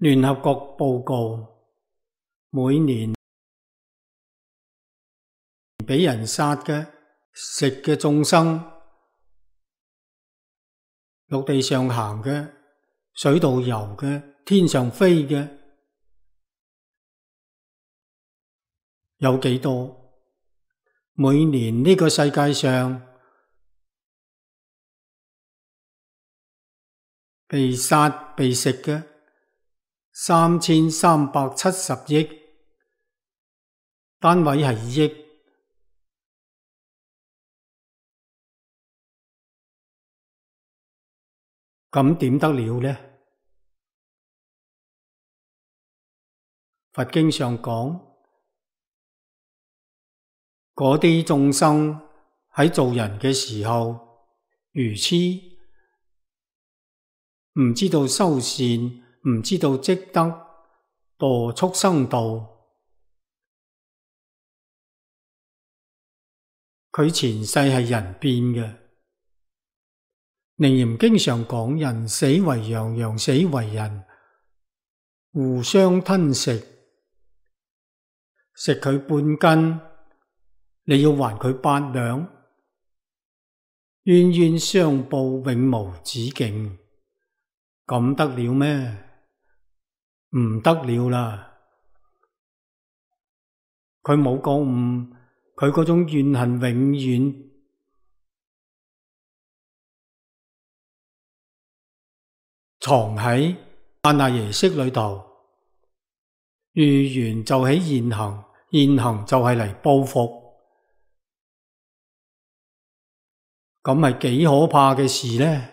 聯合國報告，每年俾人殺嘅、食嘅眾生，陸地上行嘅、水度游嘅、天上飛嘅，有幾多？每年呢個世界上被殺被食嘅3370億，單位係億。咁點得了呢？佛經上講，嗰啲眾生喺做人嘅時候愚痴，唔知道修善，唔知道積德，墮畜生道。佢前世係人變嘅。楞嚴經常講，人死為羊，羊死為人，互相吞食，食佢半根，你要還佢8兩，冤冤相報永無止境。咁得了咩？唔得了啦！佢冇覺悟，佢嗰種怨恨永遠藏喺阿賴耶識裏頭，遇緣就起現行，現行就係嚟報復，咁係幾可怕嘅事呢？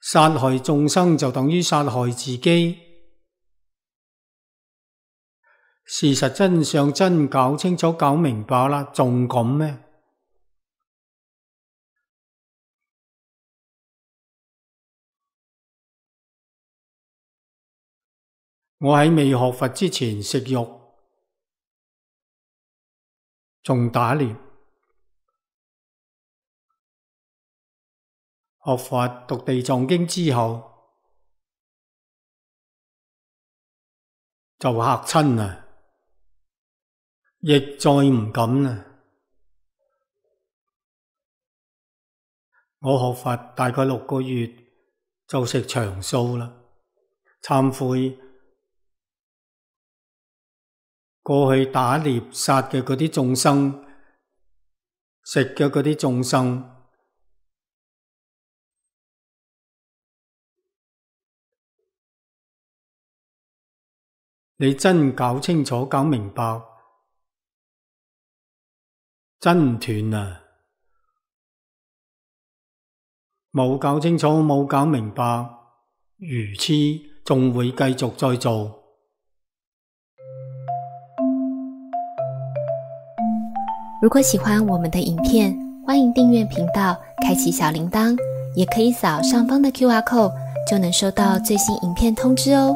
殺害眾生就等於殺害自己。事實真相真搞清楚搞明白啦，仲咁咩？我喺未學佛之前食肉，仲打獵。學佛讀地藏經之後，就嚇親啦，亦再唔敢啦。我學佛大概6個月就食長素啦，懺悔過去打獵殺嘅嗰啲眾生，食嘅嗰啲眾生。你真搞清楚搞明白，真唔斷啊！冇搞清楚冇搞明白，愚痴仲會繼續再做。如果喜歡我們的影片，歡迎訂閱頻道，開啟小鈴鐺，也可以掃上方的QR code，就能收到最新影片通知哦。